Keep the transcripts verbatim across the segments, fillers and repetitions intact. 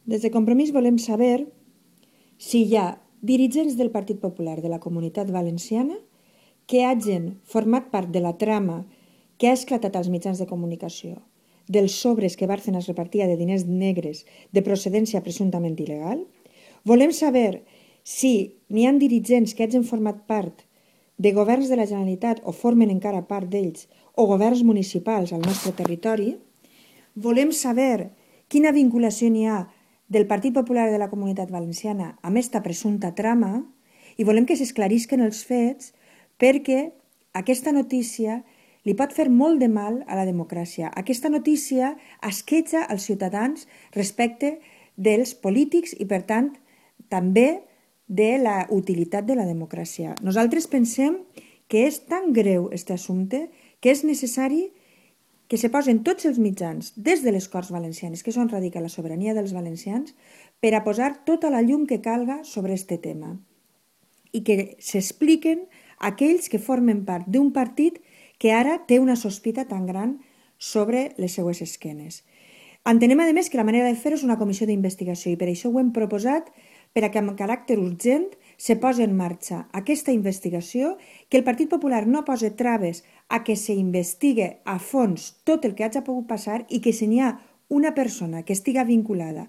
Des de Compromís volem saber si hi ha dirigents del Partit Popular de la Comunitat Valenciana que hagin format part de la trama que ha esclatat als mitjans de comunicació dels sobres que Bárcenas repartia de diners negres de procedència presumptament il·legal. Volem saber si n'hi ha dirigents que hagin format part de governs de la Generalitat o formen encara part d'ells o governs municipals al nostre territori. Volem saber quina vinculació n'hi ha del Partit Popular de la Comunitat Valenciana amb aquesta presumpta trama i volem que s'esclarisquen els fets perquè aquesta notícia li pot fer molt de mal a la democràcia. Aquesta notícia esquetxa els ciutadans respecte dels polítics i, per tant, també de la utilitat de la democràcia. Nosaltres pensem que és tan greu aquest assumpte que és necessari que se posen tots els mitjans, des de les Corts Valencianes, que és on radica la sobirania dels valencians, per a posar tota la llum que calga sobre aquest tema i que s'expliquen aquells que formen part d'un partit que ara té una sospita tan gran sobre les seues esquenes. Entenem, a més, que la manera de fer és una comissió d'investigació i per això ho hem proposat per a que amb caràcter urgent se posi en marxa aquesta investigació, que el Partit Popular no posi traves a que s'investigue a fons tot el que hagi pogut passar i que si n'hi ha una persona que estiga vinculada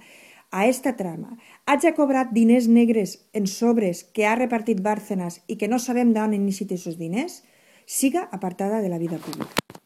a aquesta trama, hagi cobrat diners negres en sobres que ha repartit Bárcenas i que no sabem d'on han iniciat aquests diners, siga apartada de la vida pública.